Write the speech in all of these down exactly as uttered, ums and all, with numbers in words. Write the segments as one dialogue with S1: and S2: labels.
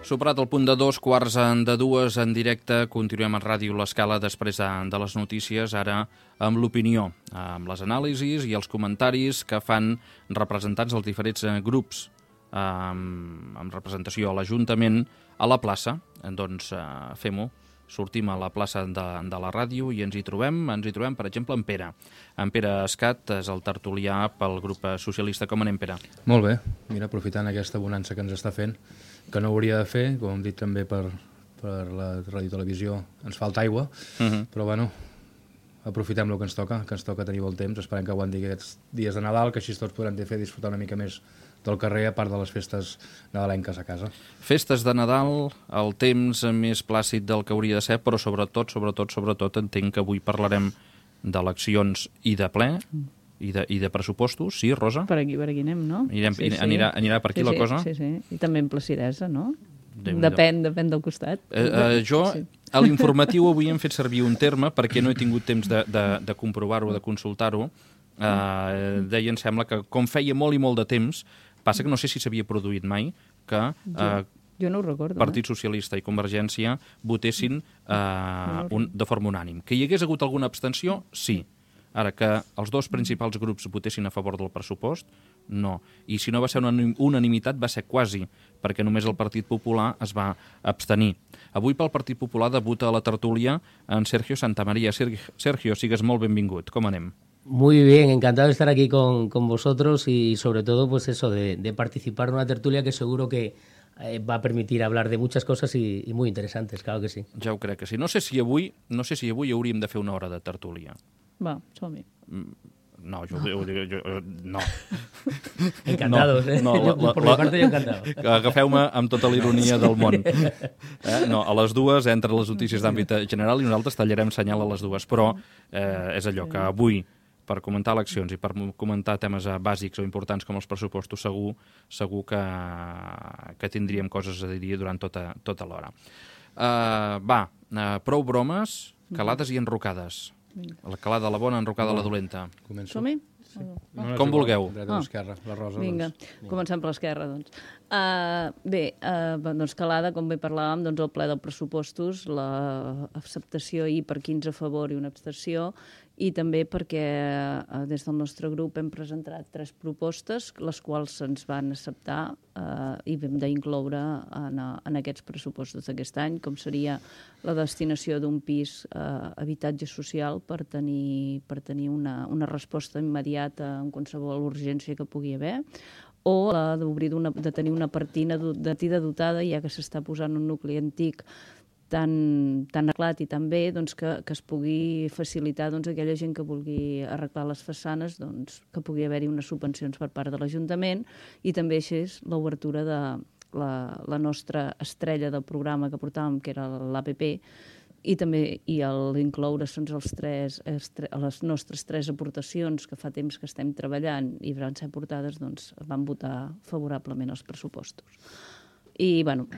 S1: Superat el punt de dos, quarts de dues en directe, continuem a Ràdio L'Escala després de, de les notícies, ara amb l'opinió, amb les anàlisis i els comentaris que fan representants dels diferents grups amb, amb representació a l'Ajuntament a la plaça. Doncs eh, fem-ho, sortim a la plaça de, de la ràdio i ens hi trobem, ens hi trobem, per exemple, en Pere. En Pere Escat és el tertulià pel grup socialista. Com anem, Pere?
S2: Molt bé, mira, aprofitant aquesta bonança que ens està fent, que no hauria de fer, com hem dit també per, per la ràdio i televisió, ens falta aigua, uh -huh. però bueno, aprofitem el que ens toca, que ens toca tenir bon temps, esperem que aguanti aquests dies de Nadal, que així tots podrem fer disfrutar una mica més del carrer, a part de les festes nadalenques a casa.
S1: Festes de Nadal, el temps més plàcid del que hauria de ser, però sobretot, sobretot, sobretot, entenc que avui parlarem d'eleccions i de ple, I de, i de pressupostos, sí, Rosa?
S3: Per aquí, per aquí anem, no?
S1: Anirem,
S3: sí, sí.
S1: Anirà, anirà per aquí
S3: sí,
S1: la
S3: sí,
S1: cosa?
S3: Sí, sí, i també en placidesa, no? Depèn, depèn del costat.
S1: Eh, eh, jo, sí. A l'informatiu avui hem fet servir un terme, perquè no he tingut temps de, de, de comprovar-ho, de consultar-ho. Eh, deia, em sembla que com feia molt i molt de temps, passa que no sé si s'havia produït mai, que eh,
S3: jo no ho recordo,
S1: Partit
S3: eh?
S1: Socialista i Convergència votessin eh, un, de forma unànim. Que hi hagués hagut alguna abstenció, sí. Ara, que els dos principals grups votessin a favor del pressupost, no. I si no va ser una unanimitat, va ser quasi, perquè només el Partit Popular es va abstenir. Avui pel Partit Popular debuta a la tertúlia en Sergio Santamaría. Sergio, sigues molt benvingut. Com anem?
S4: Muy bien, encantado de estar aquí con, con vosotros y sobre todo pues eso, de, de participar en una tertulia que seguro que eh, va a permitir hablar de muchas cosas y, y muy interesantes, claro que sí.
S1: Ja ho crec que sí. No sé si avui, no sé si avui hauríem de fer una hora de tertúlia.
S3: Va, som-hi.
S1: No, jo, jo, jo, jo no.
S4: Encantados, no, eh?
S1: No,
S4: la,
S1: la,
S4: por mi parte, yo encantado.
S1: Agafeu-me amb tota la ironia del món. Eh? No, a les dues, entre les notícies d'àmbit general, i nosaltres tallarem senyal a les dues. Però eh, és allò que avui, per comentar eleccions i per comentar temes bàsics o importants com els pressupostos, segur, segur que, que tindríem coses a dir durant tota, tota l'hora. Uh, va, uh, prou bromes, calades i enrocades. La calada la bona, enrocada la dolenta.
S3: Som-hi?
S1: Sí. No, Com vulgueu.
S2: Dreta o esquerra, la Rosa.
S3: Vinga, doncs. Comencem per l'esquerra, doncs. Uh, bé, uh, doncs calada, com bé parlàvem, doncs el ple dels pressupostos, l'acceptació ahir per quinze a favor i una abstenció, i també perquè uh, des del nostre grup hem presentat tres propostes, les quals se'ns van acceptar uh, i hem d'incloure en, en aquests pressupostos d'aquest any, com seria la destinació d'un pis uh, habitatge social per tenir, per tenir una, una resposta immediata en qualsevol urgència que pugui haver, o la d'obrir de tenir una partida dotada, ja que s'està posant un nucli antic tan, tan arreglat i tan bé, doncs, que, que es pugui facilitar doncs, a aquella gent que vulgui arreglar les façanes, doncs, que pugui haver-hi unes subvencions per part de l'Ajuntament, i també així és l'obertura de la, la nostra estrella del programa que portàvem, que era l'A P P, i també i l'incloure doncs, els tres, les nostres tres aportacions que fa temps que estem treballant i van ser portades, doncs, van votar favorablement els pressupostos. I, bueno,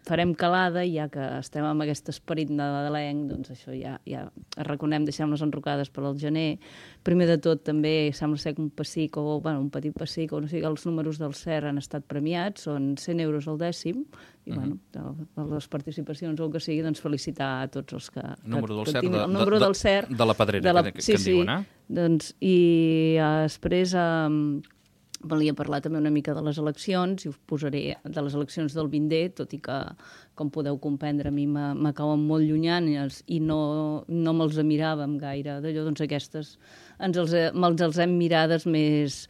S3: farem calada, ja que estem amb aquest esperit nadalenc, doncs això ja, ja reconem, deixem les enrocades per al gener. Primer de tot, també sembla ser que un pessic, o bueno, un petit pessic, o no sé, els números del C E R han estat premiats, són cent euros al dècim, i, bueno, de les participacions o el que sigui, doncs felicitar a tots els que...
S1: El número del C E R,
S3: de, el número del C E R,
S1: de la Pedrera, de la, que,
S3: sí,
S1: que en diuen, eh?
S3: Sí, doncs, i després... Eh, volia parlar també una mica de les eleccions, i us posaré de les eleccions del vint D, tot i que, com podeu comprendre, a mi me cauen molt llunyanes i no, no me'ls miràvem gaire. D'allò, doncs aquestes ens els, me'ls els hem mirades més,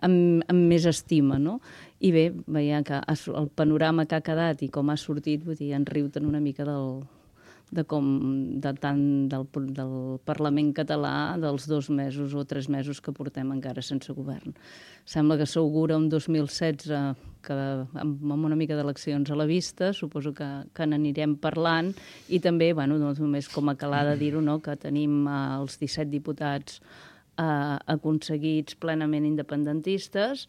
S3: amb, amb més estima, no? I bé, veia que el panorama que ha quedat i com ha sortit, vull dir, en riu-te'n una mica del... de com, de tant del, del Parlament català, dels dos mesos o tres mesos que portem encara sense govern. Sembla que s'augura un dos mil setze que, amb, amb una mica d'eleccions a la vista, suposo que, que n'anirem parlant, i també, bueno, doncs només com a calada dir-ho, no?, que tenim eh, els disset diputats eh, aconseguits plenament independentistes,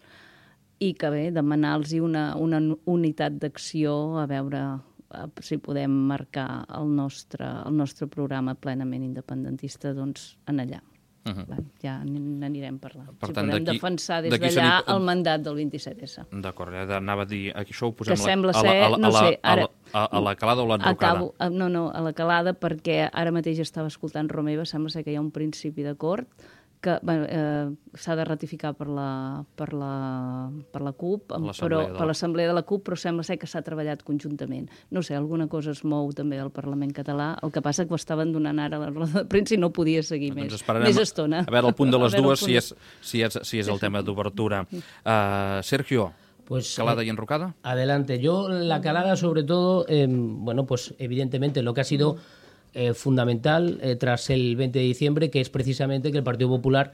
S3: i que bé, demanar-los una, una unitat d'acció, a veure si podem marcar el nostre, el nostre programa plenament independentista, doncs, en allà. Uh -huh. Va, ja n'anirem parlant.
S1: Per
S3: si
S1: tant,
S3: podem defensar des d'allà el mandat del vint-i-set essa.
S1: D'acord, anava a dir, això ho posem
S3: que sembla
S1: a,
S3: ser,
S1: a, a,
S3: no sé, ara...
S1: a, a la calada o l'enrocada?
S3: Acabo, no, no, a la calada, perquè ara mateix estava escoltant Romeva, sembla ser que hi ha un principi d'acord que bueno, eh, s'ha de ratificar per la, per la, per la CUP, però, per l'Assemblea de la CUP, però sembla ser que s'ha treballat conjuntament. No sé, alguna cosa es mou també del Parlament català, el que passa que ho estaven donant ara a la roda de premsa i no podia seguir
S1: doncs
S3: més, més estona.
S1: A veure el punt de les dues, si és, si, és, si és el tema d'obertura. Uh, Sergio, pues, calada y enrocada.
S4: Adelante. Yo la calada sobre todo, eh, bueno, pues evidentemente lo que ha sido eh, fundamental eh, tras el veinte de diciembre, que es precisamente que el Partido Popular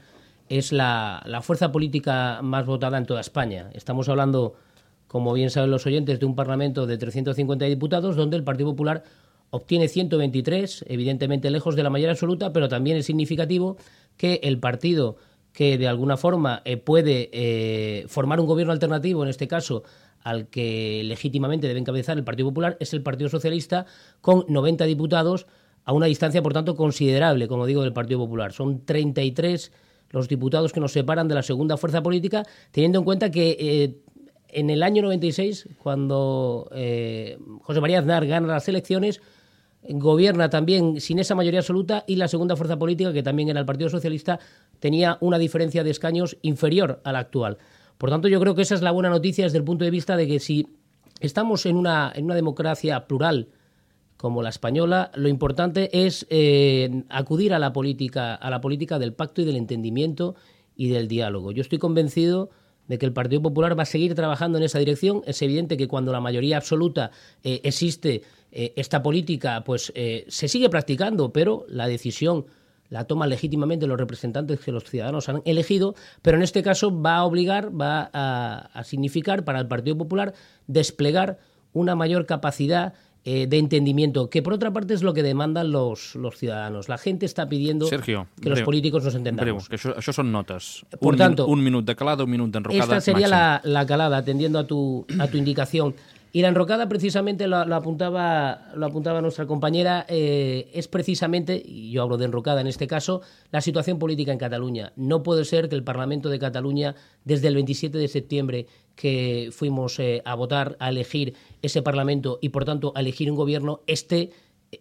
S4: es la, la fuerza política más votada en toda España. Estamos hablando, como bien saben los oyentes, de un Parlamento de trescientos cincuenta diputados, donde el Partido Popular obtiene ciento veintitrés, evidentemente lejos de la mayoría absoluta, pero también es significativo que el partido que de alguna forma eh, puede eh, formar un gobierno alternativo, en este caso al que legítimamente debe encabezar el Partido Popular, es el Partido Socialista, con noventa diputados, a una distancia, por tanto, considerable, como digo, del Partido Popular. Son treinta y tres los diputados que nos separan de la segunda fuerza política, teniendo en cuenta que eh, en el año noventa y seis, cuando eh, José María Aznar gana las elecciones, gobierna también sin esa mayoría absoluta, y la segunda fuerza política, que también era el Partido Socialista, tenía una diferencia de escaños inferior a la actual. Por tanto, yo creo que esa es la buena noticia desde el punto de vista de que si estamos en una, en una democracia plural como la española, lo importante es eh, acudir a la política, a la política del pacto y del entendimiento y del diálogo. Yo estoy convencido de que el Partido Popular va a seguir trabajando en esa dirección. Es evidente que cuando la mayoría absoluta eh, existe, eh, esta política pues eh, se sigue practicando, pero la decisión la toman legítimamente los representantes que los ciudadanos han elegido, pero en este caso va a obligar, va a, a significar para el Partido Popular desplegar una mayor capacidad Eh, de entendimiento, que por otra parte es lo que demandan los, los ciudadanos. La gente está pidiendo
S1: Sergio,
S4: que breu, los políticos nos entendamos.
S1: Breu, que això, això són notes.
S4: Por
S1: un,
S4: tanto,
S1: un minut de calada, un minut d'enrocada.
S4: Esta sería la, la calada, atendiendo a tu, a tu indicación. Y la enrocada, precisamente, lo, lo, apuntaba, lo apuntaba nuestra compañera, eh, es precisamente, y yo hablo de enrocada en este caso, la situación política en Cataluña. No puede ser que el Parlamento de Cataluña, desde el veintisiete de septiembre, que fuimos eh, a votar, a elegir ese Parlamento y, por tanto, a elegir un gobierno, esté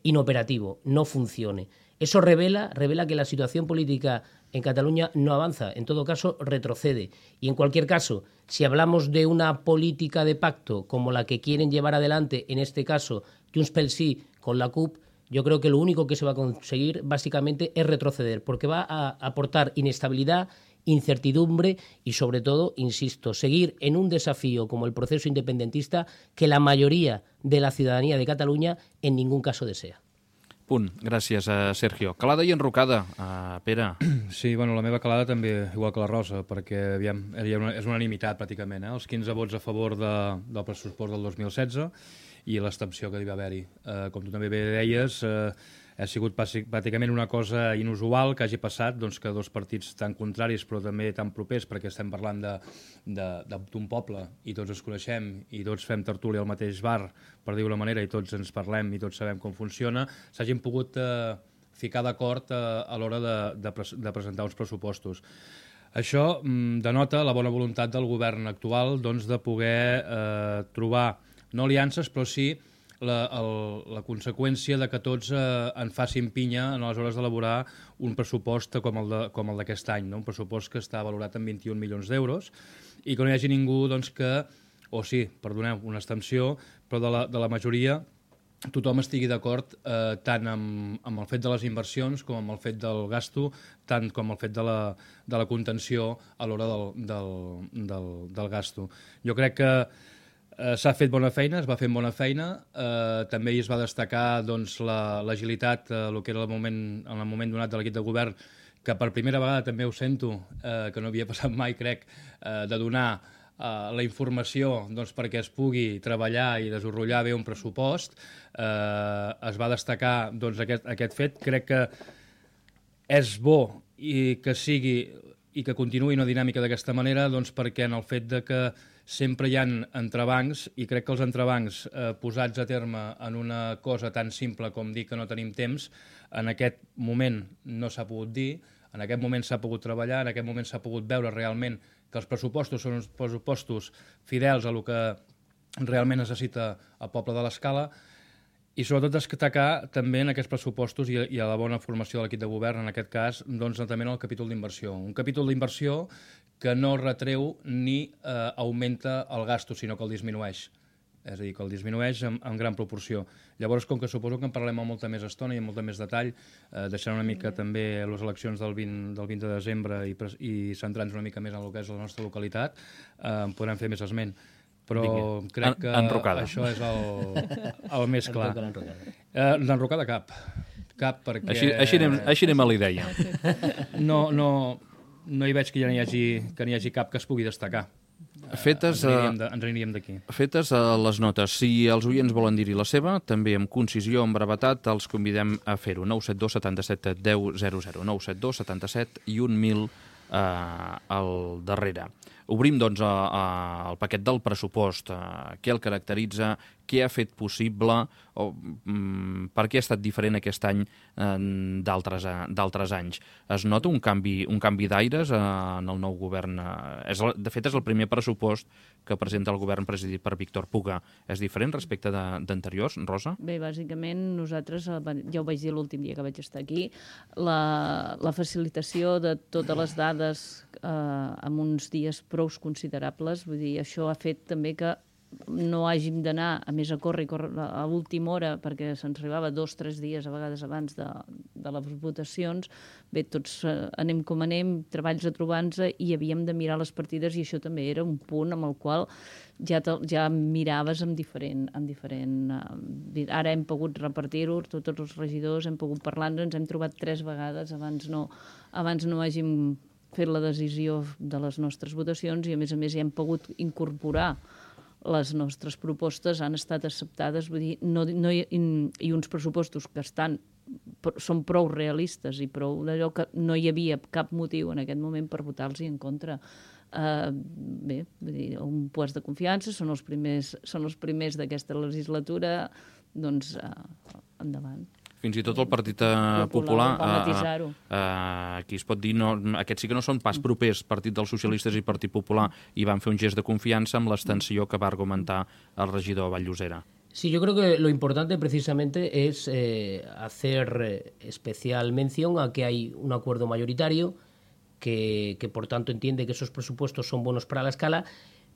S4: inoperativo, no funcione. Eso revela, revela que la situación política en Cataluña no avanza, en todo caso retrocede. Y en cualquier caso, si hablamos de una política de pacto como la que quieren llevar adelante, en este caso Junts pel Sí con la CUP, yo creo que lo único que se va a conseguir básicamente es retroceder, porque va a aportar inestabilidad, incertidumbre y, sobre todo, insisto, seguir en un desafío como el proceso independentista que la mayoría de la ciudadanía de Cataluña en ningún caso desea.
S1: Punt. Gràcies, a Sergio. Calada i enrocada, uh, Pere.
S2: Sí, bueno, la meva calada també, igual que la Rosa, perquè aviam, una, és unanimitat pràcticament, eh? Els quinze vots a favor de, del pressupost del dos mil setze i l'abstenció que hi va haver-hi. Uh, com tu també bé deies, uh, ha sigut pràcticament una cosa inusual que hagi passat, doncs, que dos partits tan contraris però també tan propers, perquè estem parlant d'un poble i tots ens coneixem i tots fem tertúlia al mateix bar, per dir-ho d'una manera, i tots ens parlem i tots sabem com funciona, s'hagin pogut eh, ficar d'acord eh, a l'hora de, de, pres de presentar uns pressupostos. Això mm, denota la bona voluntat del govern actual, doncs, de poder eh, trobar, no aliances, però sí La, el, la conseqüència de que tots eh, en facin pinya a les hores d'elaborar un pressupost com el d'aquest any, no? Un pressupost que està valorat en vint-i-un milions d'euros i que no hi hagi ningú doncs, que, o sí, perdoneu, una abstenció, però de la, de la majoria tothom estigui d'acord eh, tant amb, amb el fet de les inversions com amb el fet del gasto, tant com el fet de la, de la contenció a l'hora del, del, del, del gasto. Jo crec que Uh, s'ha fet bona feina, es va fer bona feina, uh, també es va destacar doncs, l'agilitat, la, uh, el que era el moment, en el moment donat de l'equip de govern, que per primera vegada també ho sento, uh, que no havia passat mai, crec, uh, de donar uh, la informació doncs, perquè es pugui treballar i desenrotllar bé un pressupost. Uh, es va destacar doncs, aquest, aquest fet. Crec que és bo i que sigui i que continuï una dinàmica d'aquesta manera, doncs, perquè en el fet de que sempre hi ha entrebancs, i crec que els entrebancs eh, posats a terme en una cosa tan simple com dir que no tenim temps, en aquest moment no s'ha pogut dir, En aquest moment s'ha pogut treballar, en aquest moment s'ha pogut veure realment que els pressupostos són uns pressupostos fidels a el que realment necessita el poble de l'Escala, i sobretot destacar també en aquests pressupostos i, i a la bona formació de l'equip de govern, en aquest cas, doncs, també en el capítol d'inversió. Un capítol d'inversió que no retreu ni eh, augmenta el gasto, sinó que el disminueix. És a dir, que el disminueix en, en gran proporció. Llavors, com que suposo que en parlem amb molta més estona i amb molta més detall, eh, deixant una mica també les eleccions del vint, del vint de desembre i, i centrant-nos una mica més en el que és la nostra localitat, eh, en podrem fer més esment. Però Vinga. crec que
S1: Enrocada.
S2: això és el, el més clar. Eh, D'enrocada cap. Cap perquè...
S1: Així, així, anem, així anem a la idea.
S2: No, no, no hi veig que ja n'hi hagi, que n'hi hagi cap que es pugui destacar.
S1: Fetes,
S2: ens aniríem de, ens aniríem d'aquí.
S1: Fetes a les notes. Si els oients volen dir-hi la seva, també amb concisió, amb brevetat, els convidem a fer-ho. nou set dos setanta-set deu zero zero. nou set dos setanta-set i un mil eh, al darrere. Obrim, doncs, a, a, el paquet del pressupost. A, què el caracteritza, què ha fet possible, o mm, per què ha estat diferent aquest any eh, d'altres d'altres anys. Es nota un canvi, un canvi d'aires eh, en el nou govern? Eh, és, de fet, és el primer pressupost que presenta el govern presidit per Víctor Puga. És diferent respecte d'anteriors, Rosa?
S3: Bé, bàsicament, nosaltres, ja ho vaig dir l'últim dia que vaig estar aquí, la, la facilitació de totes les dades eh, en uns dies prou considerables, vull dir, això ha fet també que no hàgim d'anar a més a córrer, córrer a l'última hora, perquè se'ns arribava dos o tres dies a vegades abans de, de les votacions. Bé, tots eh, anem com anem, treballs a trobar-nos, i havíem de mirar les partides, i això també era un punt amb el qual ja, te, ja miraves amb diferent... Amb diferent eh, ara hem pogut repartir-ho, tots els regidors hem pogut parlar-nos, ens hem trobat tres vegades, abans no, abans no hàgim fet la decisió de les nostres votacions, i a més a més hi hem pogut incorporar les nostres propostes, han estat acceptades, vull dir, no, no hi, i uns pressupostos que estan, són prou realistes i prou d'allò que no hi havia cap motiu en aquest moment per votar-los en contra. Uh, bé, vull dir, un puest de confiança, són els primers, són els primers d'aquesta legislatura, doncs uh, endavant.
S1: Fins i tot el Partit Popular, Popular
S3: uh,
S1: uh, aquí es pot dir, no, aquests sí que no són pas propers, Partit dels Socialistes i Partit Popular, i van fer un gest de confiança amb l'extensió que va argumentar el regidor Vall-llosera.
S4: Sí, yo creo que lo importante precisamente es eh, hacer especial mención a que hay un acuerdo mayoritario que, que por tanto entiende que esos presupuestos son buenos para la Escala,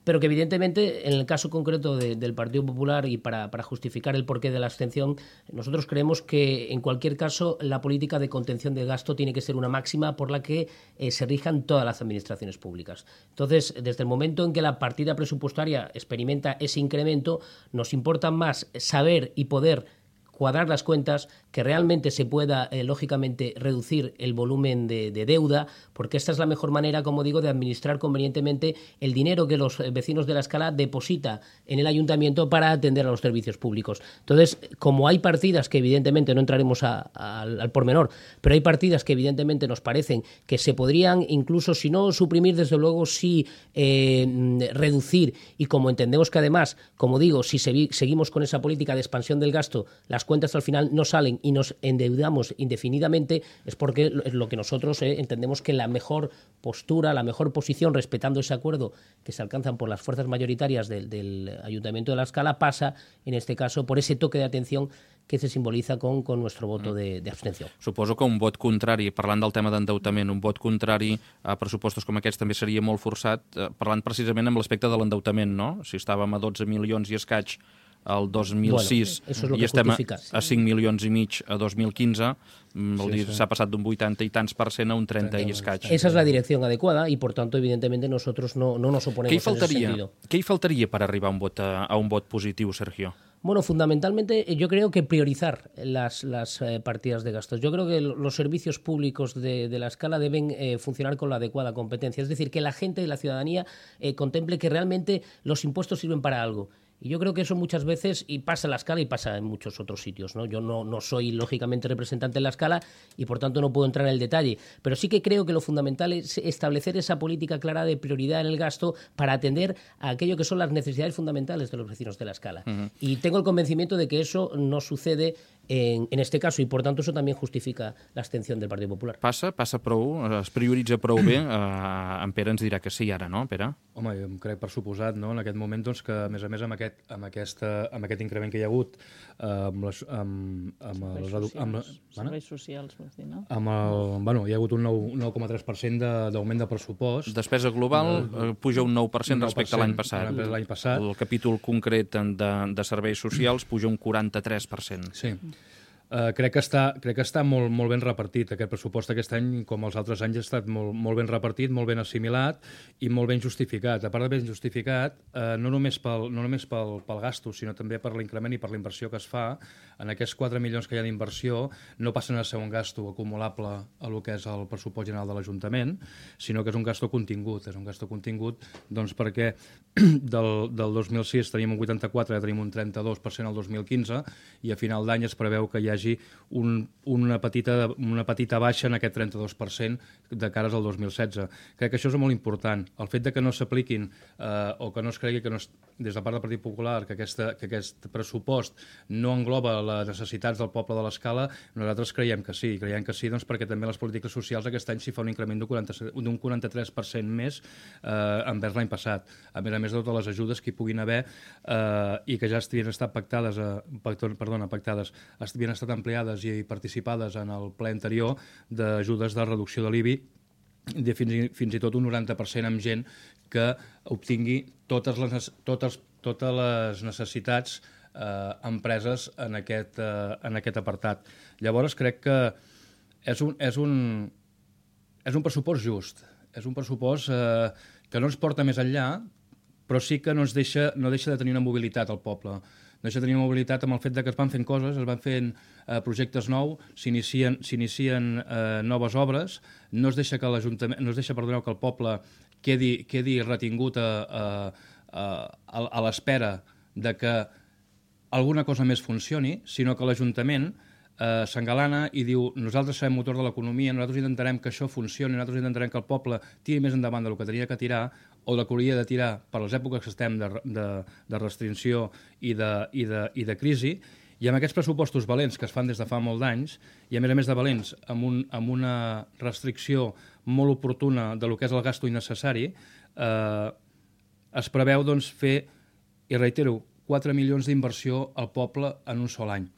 S4: pero que evidentemente en el caso concreto de, del Partido Popular, y para, para justificar el porqué de la abstención, nosotros creemos que en cualquier caso la política de contención del gasto tiene que ser una máxima por la que eh, se rijan todas las administraciones públicas. Entonces, desde el momento en que la partida presupuestaria experimenta ese incremento, nos importa más saber y poder cuadrar las cuentas, que realmente se pueda, eh, lógicamente, reducir el volumen de, de deuda, porque esta es la mejor manera, como digo, de administrar convenientemente el dinero que los vecinos de la Escala deposita en el ayuntamiento para atender a los servicios públicos. Entonces, como hay partidas que evidentemente no entraremos a, a, al pormenor, pero hay partidas que evidentemente nos parecen que se podrían incluso, si no suprimir, desde luego sí eh, reducir, y como entendemos que además, como digo, si se, seguimos con esa política de expansión del gasto, las cuentas al final no salen y nos endeudamos indefinidamente, es porque es lo que nosotros eh, entendemos que la mejor postura, la mejor posición, respetando ese acuerdo que se alcanzan por las fuerzas mayoritarias del, del Ayuntamiento de la Escala, pasa, en este caso, por ese toque de atención que se simboliza con, con nuestro voto de, de abstenció.
S1: Suposo que un vot contrari, parlant del tema d'endeutament, un vot contrari a pressupostos com aquests també seria molt forçat, eh, parlant precisament amb l'aspecte de l'endeutament, no? Si estàvem a dotze milions i escaig el dos mil sis, bueno, i estem a, a cinc milions i mig a dos mil quinze, vol dir, s'ha passat d'un vuitanta i tants per cent a un trenta i escaig.
S4: Esa es la dirección adecuada y, por tanto, evidentemente, nosotros no, no nos oponemos
S1: ¿Qué faltaría,
S4: en ese sentido.
S1: ¿Qué faltaría para arribar a un vot, a, a un vot positiu, Sergio?
S4: Bueno, fundamentalmente yo creo que priorizar las, las eh, partidas de gastos. Yo creo que los servicios públicos de, de la Escala deben eh, funcionar con la adecuada competencia. Es decir, que la gente y la ciudadanía eh, contemple que realmente los impuestos sirven para algo Y yo creo que eso muchas veces, y pasa en la Scala y pasa en muchos otros sitios, ¿no? Yo no, no soy, lógicamente, representante en la Scala y, por tanto, no puedo entrar en el detalle. Pero sí que creo que lo fundamental es establecer esa política clara de prioridad en el gasto para atender a aquello que son las necesidades fundamentales de los vecinos de la Scala. Uh-huh. Y tengo el convencimiento de que eso no sucede en, en este caso, y por tanto eso también justifica la abstención del Partido Popular.
S1: Passa? Passa prou? Es prioritza prou bé? Uh, en Pere ens dirà que sí ara, no, Pere?
S2: Home, jo em crec per suposat, no?, en aquest moment, doncs, que a més a més amb aquest, amb aquesta, amb aquest increment que hi ha hagut eh, amb les... Amb, amb
S3: serveis,
S2: els,
S3: socials,
S2: amb,
S3: serveis socials, vols dir, no?
S2: Amb el, bueno, hi ha hagut un nou coma tres per cent d'augment de, de pressupost.
S1: Despesa global uh, puja un nou per cent respecte a l'any passat.
S2: L'any passat.
S1: El capítol concret de, de serveis socials puja un quaranta-tres per cent.
S2: Sí. Uh, crec que està, crec que està molt, molt ben repartit. Aquest pressupost aquest any, com els altres anys, ha estat molt, molt ben repartit, molt ben assimilat i molt ben justificat. A part de ben justificat, uh, no només, pel, no només pel, pel gasto, sinó també per l'increment i per la inversió que es fa. En aquests quatre milions que hi ha d'inversió no passen a ser un gasto acumulable a lo que és el pressupost general de l'Ajuntament, sinó que és un gasto contingut. És un gasto contingut doncs, perquè del, del dos mil sis tenim un vuitanta-quatre, tenim un trenta-dos per cent al dos mil quinze i a final d'any es preveu que hi hagi un, una, petita, una petita baixa en aquest trenta-dos per cent de cares al dos mil setze. Crec que això és molt important. El fet de que no s'apliquin eh, o que no es cregui que no es, des de part del Partit Popular que, aquesta, que aquest pressupost no engloba les necessitats del poble de l'Escala, nosaltres creiem que sí. Creiem que sí doncs, perquè també les polítiques socials aquest any s'hi fa un increment d'un quaranta-tres per cent més eh, envers l'any passat. A més a més de totes les ajudes que hi puguin haver eh, i que ja havien estat pactades, eh, perdona, pactades, havien estat ampliades i participades en el ple anterior d'ajudes de reducció de l'I B I de fins i, fins i tot un noranta per cent amb gent que obtingui totes les, totes, totes les necessitats eh, empreses en aquest, eh, en aquest apartat. Llavors crec que és un, és un, és un pressupost just, és un pressupost eh, que no ens porta més enllà, però sí que no, ens deixa, no deixa de tenir una mobilitat al poble. No deixa de tenir una mobilitat amb el fet de que es van fent coses, es van fent eh, projectes nous, s'inicien eh, noves obres, no es deixa que l'Ajuntament, no es deixa, perdoneu, que el poble quedi, quedi retingut a, a, a, a l'espera de que alguna cosa més funcioni, sinó que l'Ajuntament eh, s'engalana i diu nosaltres serem motor de l'economia, nosaltres intentarem que això funcioni, nosaltres intentarem que el poble tiri més endavant del que tenia que tirar o del que hauria de tirar per les èpoques que estem de, de, de restricció i de, i, de, i de crisi, i amb aquests pressupostos valents que es fan des de fa molt d'anys, i a més a més de valents amb, un, amb una restricció molt oportuna de lo que és el gasto innecessari, eh, es preveu doncs, fer, i reitero, quatre milions d'inversió al poble en un sol any.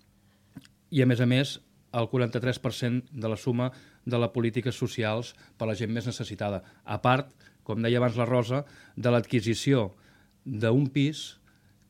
S2: I a més a més, el quaranta-tres per cent de la suma de les polítiques socials per a la gent més necessitada. A part, com deia abans la Rosa, de l'adquisició d'un pis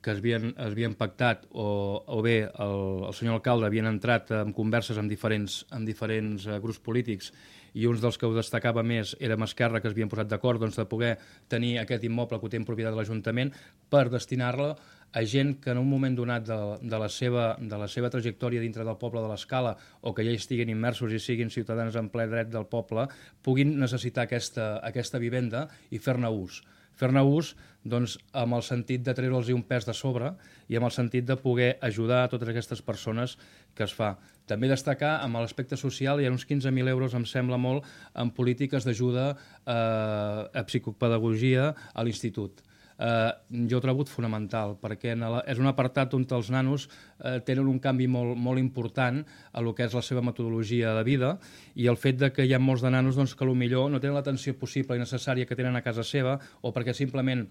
S2: que es havien, es havien pactat o, o bé el, el senyor alcalde havien entrat en converses amb diferents, amb diferents uh, grups polítics i uns dels que ho destacava més era Esquerra, que es havien posat d'acord doncs, de poder tenir aquest immoble que ho té en propietat de l'Ajuntament per destinar-lo a gent que en un moment donat de, de, la seva, de la seva trajectòria dintre del poble de l'Escala o que ja hi estiguin immersos i siguin ciutadans en ple dret del poble puguin necessitar aquesta, aquesta vivenda i fer-ne ús. Fer-ne ús doncs, amb el sentit de treure'ls un pes de sobre i amb el sentit de poder ajudar a totes aquestes persones que es fa. També destacar amb l'aspecte social hi ha uns quinze mil euros, em sembla molt, en polítiques d'ajuda eh, a psicopedagogia a l'institut. Eh, jo ho trobo fonamental perquè en la, és un apartat on els nanos eh, tenen un canvi molt, molt important a lo que és la seva metodologia de vida i el fet de que hi ha molts de nanos doncs, que potser no tenen l'atenció possible i necessària que tenen a casa seva o perquè simplement,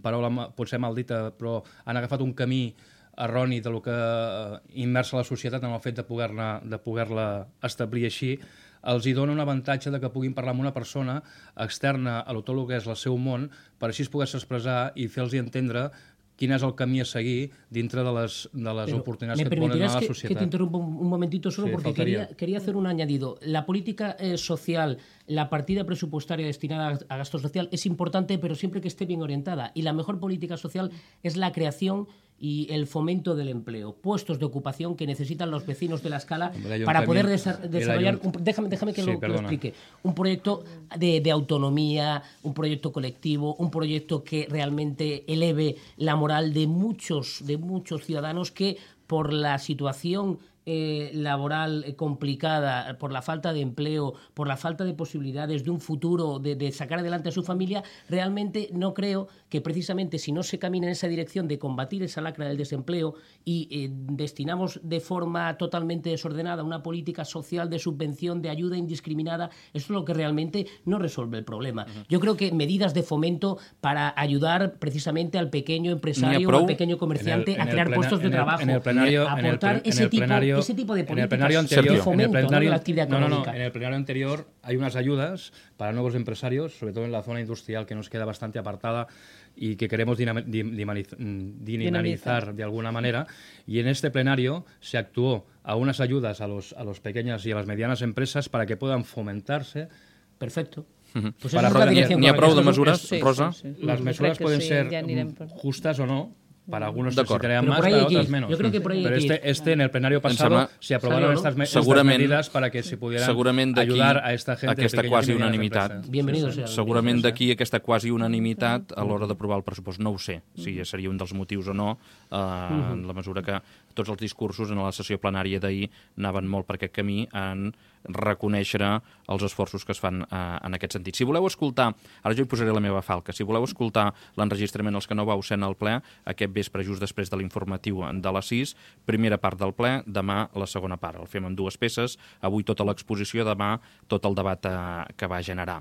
S2: paraula potser mal dita, però han agafat un camí erroni de lo que eh, immersa la societat en el fet de poder-la de poder-la establir així, els hi dona un avantatge de que puguin parlar amb una persona externa a tot el que és el seu món per així poder-se expressar i fer-los entendre quin es el camí a seguir dintre de les, de les oportunitats que et ponen a la
S4: que,
S2: societat.
S4: Que te interrumpa un, un momentito solo sí, porque quería, quería hacer un añadido. La política eh, social, la partida presupuestaria destinada a, a gasto social es importante, pero siempre que esté bien orientada. Y la mejor política social es la creación y el fomento del empleo, puestos de ocupación que necesitan los vecinos de La Escala
S2: Hombre,
S4: para poder desa
S2: el
S4: desarrollar,
S2: ayunt...
S4: un, déjame, déjame que,
S2: sí,
S4: lo, que lo explique, un proyecto de, de autonomía, un proyecto colectivo, un proyecto que realmente eleve la moral de muchos, de muchos ciudadanos que por la situación Eh, laboral eh, complicada, por la falta de empleo, por la falta de posibilidades de un futuro, de, de sacar adelante a su familia, realmente no creo que precisamente si no se camina en esa dirección de combatir esa lacra del desempleo y eh, destinamos de forma totalmente desordenada una política social de subvención, de ayuda indiscriminada, eso es lo que realmente no resuelve el problema. Uh-huh. Yo creo que medidas de fomento para ayudar precisamente al pequeño empresario o al pequeño comerciante el, a crear plena, puestos de
S2: en el,
S4: trabajo,
S2: en el plenario,
S4: aportar
S2: en el, en el
S4: ese tipo
S2: plenario,
S4: ese tipo de políticas
S2: en el plenario anterior,
S4: de fomento,
S2: en el plenario,
S4: ¿no? de la actividad
S2: no,
S4: económica.
S2: No, no, en el plenario anterior hay unas ayudas para nuevos empresarios, sobre todo en la zona industrial que nos queda bastante apartada y que queremos dinam dinamizar, dinamizar de alguna manera, y en este plenario se actuó a unas ayudas a, los, a las pequeñas y a las medianas empresas para que puedan fomentarse.
S4: Perfecto.
S1: Uh-huh. Pues para n'hi ha prou de mesures, sí, Rosa?
S2: Sí, sí. Las mesures pueden sí, ser ja per... justas o no. Para algunos se crean más,
S4: para
S2: otros menos.
S4: Yo creo que por ahí
S2: Pero este, este en el plenario pasado se aprobaron ¿no? estas, me estas medidas para que se pudieran ayudar a esta gente
S1: aquesta
S2: de
S1: quasi unanimitat.
S4: Bienvenidos.
S1: Sí, sí. Segurament d'aquí aquesta quasi unanimitat a l'hora d'aprovar el pressupost. No ho sé si seria un dels motius o no, eh, en la mesura que tots els discursos en la sessió plenària d'ahir anaven molt per aquest camí en reconèixer els esforços que es fan eh, en aquest sentit. Si voleu escoltar, ara jo hi posaré la meva falca, si voleu escoltar l'enregistrament els que no vau ser en el ple, aquest vespre just després de l'informatiu de les sis, primera part del ple, demà la segona part. El fem en dues peces, avui tota l'exposició, demà tot el debat eh, que va generar.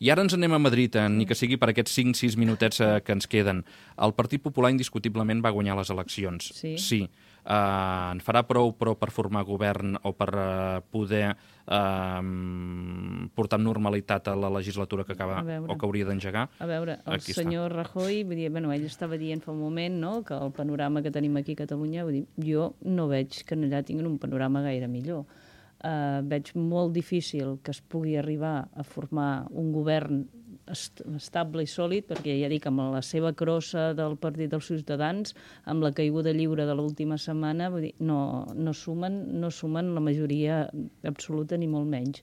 S1: I ara ens anem a Madrid, eh, ni que sigui per aquests cinc sis minutets eh, que ens queden. El Partit Popular indiscutiblement va guanyar les eleccions.
S3: Sí.
S1: Sí. Uh, en farà prou, però per formar govern o per uh, poder uh, portar amb normalitat a la legislatura que acaba o que hauria d'engegar?
S3: A veure, el aquí senyor està. Rajoy, vull dir, bueno, ell estava dient fa un moment, no?, que el panorama que tenim aquí a Catalunya, vull dir, jo no veig que allà tinguin un panorama gaire millor. Uh, veig molt difícil que es pugui arribar a formar un govern est estable i sòlid, perquè ja dic, amb la seva crossa del Partit dels Ciutadans, amb la caiguda lliure de l'última setmana, vull dir, no, no, sumen, no sumen la majoria absoluta ni molt menys.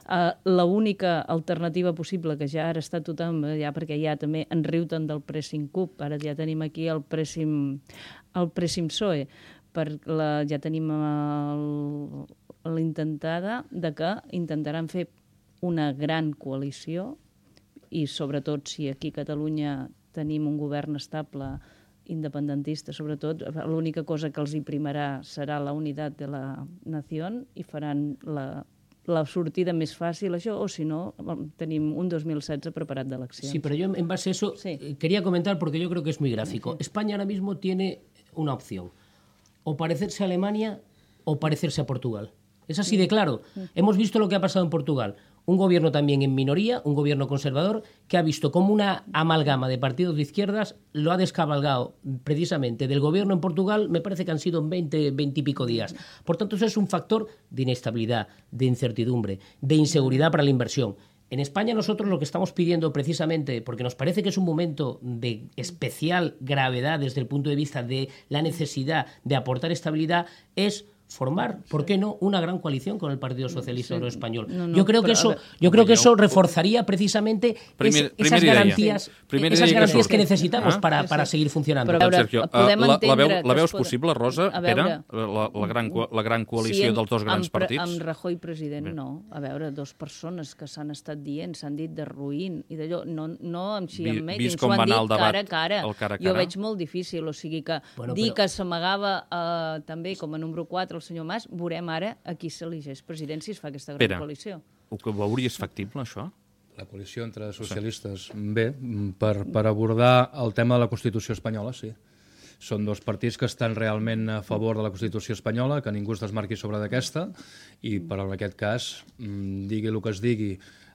S3: Uh, L'única alternativa possible, que ja ara està tothom, ja perquè ja també en riu tant del pressing cup, ara ja tenim aquí el pressing, el pressing P S O E, per la, ja tenim l'intentada de que intentaran fer una gran coalició, i sobretot si aquí a Catalunya tenim un govern estable independentista, sobretot l'única cosa que els hi primarà serà la unitat de la nació i faran la, la sortida més fàcil això, o si no tenim un dos mil setze preparat d'eleccions.
S4: Sí, pero yo en base a eso sí. quería comentar porque yo creo que es muy gráfico. Sí. España ahora mismo tiene una opción, o parecerse a Alemania o parecerse a Portugal. Es así de claro. Hemos visto lo que ha pasado en Portugal. Un gobierno también en minoría, un gobierno conservador, que ha visto como una amalgama de partidos de izquierdas lo ha descabalgado precisamente del gobierno en Portugal, me parece que han sido veinte, veinte y pico días. Por tanto, eso es un factor de inestabilidad, de incertidumbre, de inseguridad para la inversión. En España nosotros lo que estamos pidiendo precisamente, porque nos parece que es un momento de especial gravedad desde el punto de vista de la necesidad de aportar estabilidad, es formar, ¿por qué no?, una gran coalición con el Partido Socialista Obrero Español. No, no, yo creo que eso, yo creo que eso reforzaría precisamente primer, es, esas garantías, esas garantías que, que necesitamos ah? para, para seguir funcionando.
S1: Però, veure, Sergio, uh, la, la, veu, la veus possible, Rosa, Pere, la, la, gran, la gran coalició sí, dels dos grans
S3: amb,
S1: partits?
S3: Amb Rajoy president, Bé. no. A veure, dos persones que s'han estat dient, s'han dit de ruïn i d'allò, no, no amb xi amb ell, ens ho han dit cara a cara. cara, cara. Jo veig molt difícil, o sigui que bueno, dir però... que s'amagava uh, també com a número quatre el senyor Mas, veurem ara a qui s'elegeix president si es fa aquesta gran
S1: Pere,
S3: coalició.
S1: Ho veuries factible, això?
S2: La coalició entre socialistes, bé, per, per abordar el tema de la Constitució espanyola, sí. Són dos partits que estan realment a favor de la Constitució espanyola, que ningú es desmarqui sobre d'aquesta, i per en aquest cas, digui el que es digui,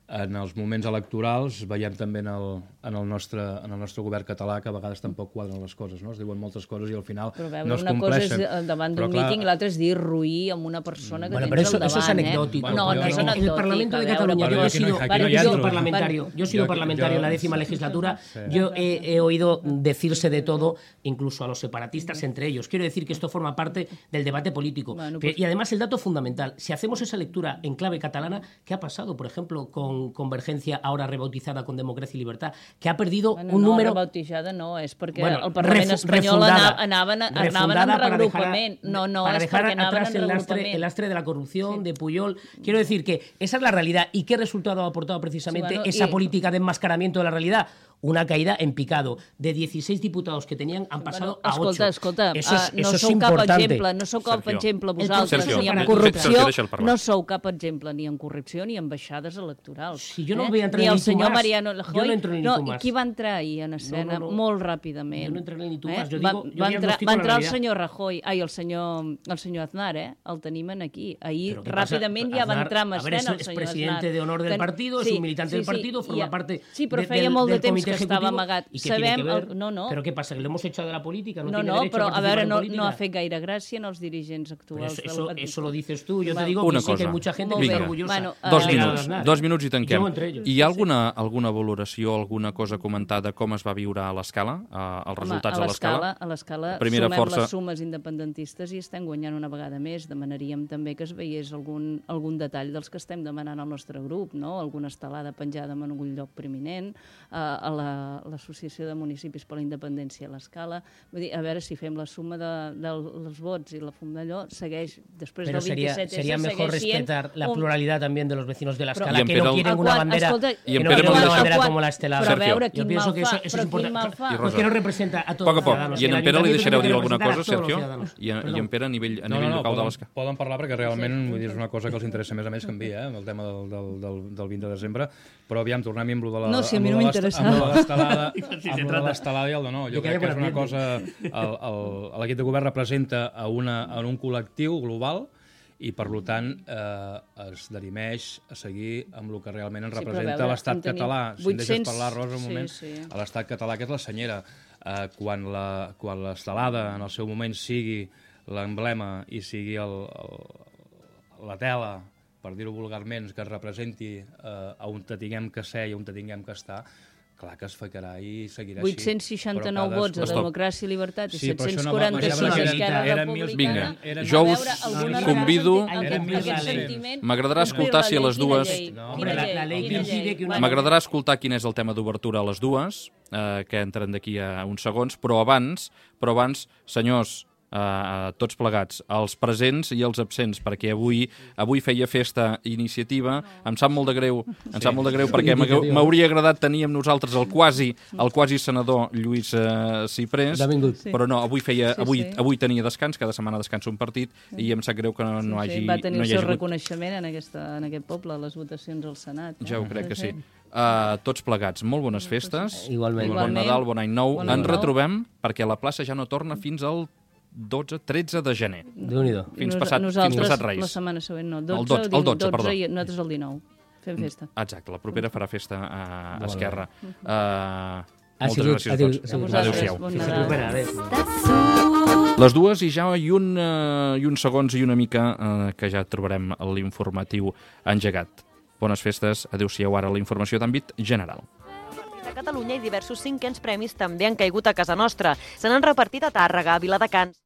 S2: en els moments electorals veiem també en el, en el, nostre, en el nostre govern català que a vegades tampoc quadren les coses, no? Es diuen moltes coses i al final
S3: però veure,
S2: no es
S3: una
S2: compleixen.
S3: Cosa és davant d'un míting i l'altra és dir ruir amb una persona que
S4: bueno,
S3: tens
S4: eso,
S3: al davant.
S4: Eso es anecdótico.
S3: Eh? No, no es anecdótico.
S4: En el Parlamento de Cataluña, yo he sido, yo he sido parlamentario, yo he sido parlamentario en la décima legislatura, yo he, he oído decirse de todo, incluso a los separatistas entre ellos. Quiero decir que esto forma parte del debate político. Bueno, pues, y además el dato fundamental, si hacemos esa lectura en clave catalana, ¿qué ha pasado, por ejemplo, con Convergencia, ahora rebautizada con Democracia y Libertad, que ha perdido
S3: bueno,
S4: un
S3: no,
S4: número...
S3: rebautizada no, és perquè
S4: bueno,
S3: el Parlament
S4: refu
S3: espanyol
S4: refundada,
S3: anaven, anaven en regrupament.
S4: Dejar,
S3: no, no,
S4: para
S3: és
S4: dejar
S3: perquè anaven
S4: atrás
S3: en
S4: el
S3: regrupament.
S4: lastre, el lastre de la corrupción, sí. de Puyol. Quiero decir que esa es la realidad. ¿Y qué resultado ha aportado precisamente sí, bueno, esa y... política de enmascaramiento de la realidad? Una caída en picado. De dieciséis diputados que tenían han pasado
S3: bueno, escolta,
S4: a ocho.
S3: Escolta,
S4: eso es,
S3: uh, no
S4: eso
S3: sou
S4: es
S3: cap
S4: importante.
S3: exemple, no sou cap
S1: Sergio.
S3: exemple vosaltres,
S1: Sergio.
S3: ni en
S1: Sergio.
S3: corrupció,
S1: Sergio,
S3: no sou cap exemple ni en corrupció ni en baixades electorals.
S4: Si jo no
S3: eh?
S4: voy a entrar
S3: ni
S4: en
S3: el
S4: ni
S3: senyor
S4: más.
S3: Mariano Rajoy,
S4: yo no entro en
S3: no,
S4: ni más.
S3: qui va entrar ahir en escena
S4: no, no, no.
S3: molt ràpidament.
S4: Jo no entraré ni tu
S3: eh?
S4: más. Jo
S3: va,
S4: digo, jo
S3: va, entrar,
S4: diagnostico
S3: va
S4: la
S3: entrar el
S4: realidad.
S3: senyor Rajoy, ai, el senyor, el senyor Aznar, eh? El tenim aquí. Ahir
S4: Pero
S3: ràpidament
S4: pasa?
S3: ja va
S4: Aznar,
S3: entrar en
S4: a ver,
S3: escena
S4: es,
S3: el senyor
S4: es presidente
S3: Aznar.
S4: de honor del
S3: Que,
S4: partido,
S3: sí,
S4: es un militante
S3: sí,
S4: del partido,
S3: sí,
S4: forma
S3: ja,
S4: parte
S3: sí, però
S4: de,
S3: feia
S4: del,
S3: molt de
S4: del
S3: temps
S4: comité
S3: que estava
S4: ejecutivo.
S3: amagat.
S4: ¿Y qué
S3: Sabem,
S4: tiene que ver?
S3: el, no, no.
S4: ¿Pero qué pasa? ¿Que lo hemos echado de la política? ¿No,
S3: No,
S4: tiene
S3: no,
S4: derecho
S3: però
S4: a
S3: a
S4: participar
S3: veure,
S4: en
S3: no,
S4: política?
S3: no ha fet gaire gràcia en els dirigents actuals
S4: eso,
S3: del
S4: eso,
S3: partit.
S4: eso lo dices tú. Yo
S3: bueno,
S4: te digo
S1: una
S4: que sí
S1: cosa.
S4: que hay mucha gente que
S1: Vinga.
S4: está orgullosa.
S3: Bueno,
S1: dos
S3: uh,
S1: minuts, dos minuts i tanquem.
S4: Jo entre ells.
S1: Hi ha alguna, alguna valoració, alguna cosa comentada com es va viure a l'escala, els resultats
S3: Home,
S1: a l'escala?
S3: A l'escala
S1: Primera
S3: sumem
S1: força...
S3: les sumes independentistes i estem guanyant una vegada més. Demanaríem també que es veiés algun, algun detall dels que estem demanant al nostre grup, no? Alguna estelada penjada en algun lloc preeminent, uh, a l'Associació la, de Municipis per la Independència a l'escala. Vull dir, a veure si fem la suma de, dels vots i la fum d'allò, segueix, després
S4: Pero
S3: del
S4: sería,
S3: vint-i-set esse,
S4: sería mejor respetar la
S3: un...
S4: pluralidad también de los vecinos de la
S1: Però-
S4: escala,
S1: I en
S4: que
S1: Pere
S4: no
S1: el-
S4: quieren
S3: A
S4: una
S3: quan-
S4: bandera,
S3: escolta,
S1: I en
S4: que no
S1: Pere
S4: quieren una
S1: Molina-
S4: bandera
S3: a quan-
S4: como la estelada.
S3: Però a
S1: Sergio.
S3: veure,
S4: Yo
S3: quin
S4: pienso
S3: mal
S4: que
S3: fa,
S4: eso, eso
S3: però
S4: es
S3: quin
S4: importante.
S3: mal fa.
S1: I
S4: Porque no representa a todos
S1: Poc a
S4: los
S1: poc.
S4: ciudadanos.
S1: I en
S4: El
S1: en Pere li
S4: ayuntamiento
S1: deixareu
S4: tiene
S1: dir
S4: que
S1: alguna
S4: representar a
S1: cosa,
S4: todos los
S1: Sergio?
S4: ciudadanos.
S1: I, en- I en Pere a nivell, a
S2: No,
S1: nivell
S2: no, no,
S1: local de
S2: poden,
S1: l'escala?
S2: poden parlar perquè realment vull dir, és una cosa que els interessa més a més que a mi, eh, el tema del, del, del, del vint de desembre, però aviam, tornem amb lo de la,
S3: No, si a
S2: amb
S3: mi
S2: lo
S3: no
S2: de l'est-
S3: m'interessa.
S2: amb lo de l'estelada
S4: Sí, se
S2: amb lo de
S4: trata.
S2: l'estelada i el de no. Jo
S4: Me
S2: crec
S4: quedé
S2: que és
S4: con
S2: una
S4: el
S2: cosa... L'equip de govern representa a, una, a un col·lectiu global i, per tant, eh, es derimeix a seguir amb el que realment ens
S3: Sí, però a
S2: representa
S3: veure,
S2: l'estat
S3: en tenim
S2: català. Si em
S3: vuit-cents
S2: deixes parlar, Rosa, un
S3: sí,
S2: moment,
S3: sí.
S2: a l'estat català, que és la senyera. Eh, quan la- quan l'estelada, en el seu moment, sigui l'emblema i sigui el, el, la tela, per dir-ho vulgarment, que es representi eh, on te tinguem que ser i on te tinguem que estar, clar que es ficarà i seguirà així.
S3: vuit-cents seixanta-nou
S2: Però
S3: vots a
S2: cadascú-
S3: Democràcia i Llibertat i
S2: Sí, però això
S3: set-cents
S2: no va-
S3: quaranta-sis
S2: però
S3: a
S2: eren-
S3: Esquerra
S2: eren
S3: Republicana.
S1: Vinga,
S2: eren-
S1: jo
S3: A
S1: us
S3: veure, alguna
S1: convido...
S3: vegada
S2: Eren
S3: aquest,
S2: mil
S3: aquest
S2: cent.
S3: sentiment...
S1: M'agradarà
S3: Complir
S1: escoltar
S3: la
S1: si a
S3: llei,
S1: les
S3: quina
S1: dues-
S3: llei?
S4: No,
S3: Quina
S4: hombre, la- la
S3: llei?
S4: ley
S3: Quina
S4: que impide
S3: llei?
S4: que una-
S3: Bueno,
S1: M'agradarà escoltar quin és el tema d'obertura a les dues, eh, que entren d'aquí a uns segons, però abans, però abans, senyors, eh, tots plegats, els presents i els absents, perquè avui avui feia festa iniciativa. Em sap molt de greu, em sap molt de greu perquè m'hagué- m'hauria agradat tenir amb nosaltres el quasi, el quasi senador Lluís eh, Ciprés,
S4: Benvingut.
S1: però no, avui feia,
S3: Sí,
S1: avui,
S3: sí.
S1: avui tenia descans, cada setmana descansa un partit, i em sap greu que no, no hagi,
S3: sí, va tenir
S1: no
S3: el
S1: hi
S3: seu
S1: hagi hagut.
S3: reconeixement en, aquesta, en aquest poble, a les votacions al Senat. Eh?
S1: Ja ho crec que sí. Uh, tots plegats, molt bones festes.
S4: Igualment.
S1: Bon
S3: Igualment.
S1: Nadal, bon any nou.
S3: Bon any
S1: Ens
S3: nou.
S1: retrobem perquè la plaça ja no torna fins al dotze tretze de gener.
S4: Déu-n'hi-do.
S1: Fins
S3: Nos-
S1: passat, fins
S3: nosaltres,
S1: passat Reis.
S3: la setmana següent no.
S1: dotze,
S3: dotze,
S1: el dotze,
S3: dotze
S1: perdó.
S3: i nosaltres el dinou. Fem festa.
S1: Exacte, la propera farà festa a, a
S4: Molt
S1: Esquerra. Uh,
S4: Ha
S1: moltes
S4: sigut-
S1: gràcies
S4: ha
S1: a
S4: sigut-
S1: tots.
S4: ha sigut-
S1: Adéu-siau.
S3: Bon
S4: Se
S3: Nadal.
S4: recupera, adéu.
S1: Les dues i ja i un, uh, i uns segons i una mica uh, que ja trobarem l'informatiu engegat. Bones festes, adéu-siau ara la informació d'àmbit general.
S5: A Catalunya i diversos cinquens premis també han caigut a casa nostra. Se n'han repartit a Tàrrega, a Viladecans...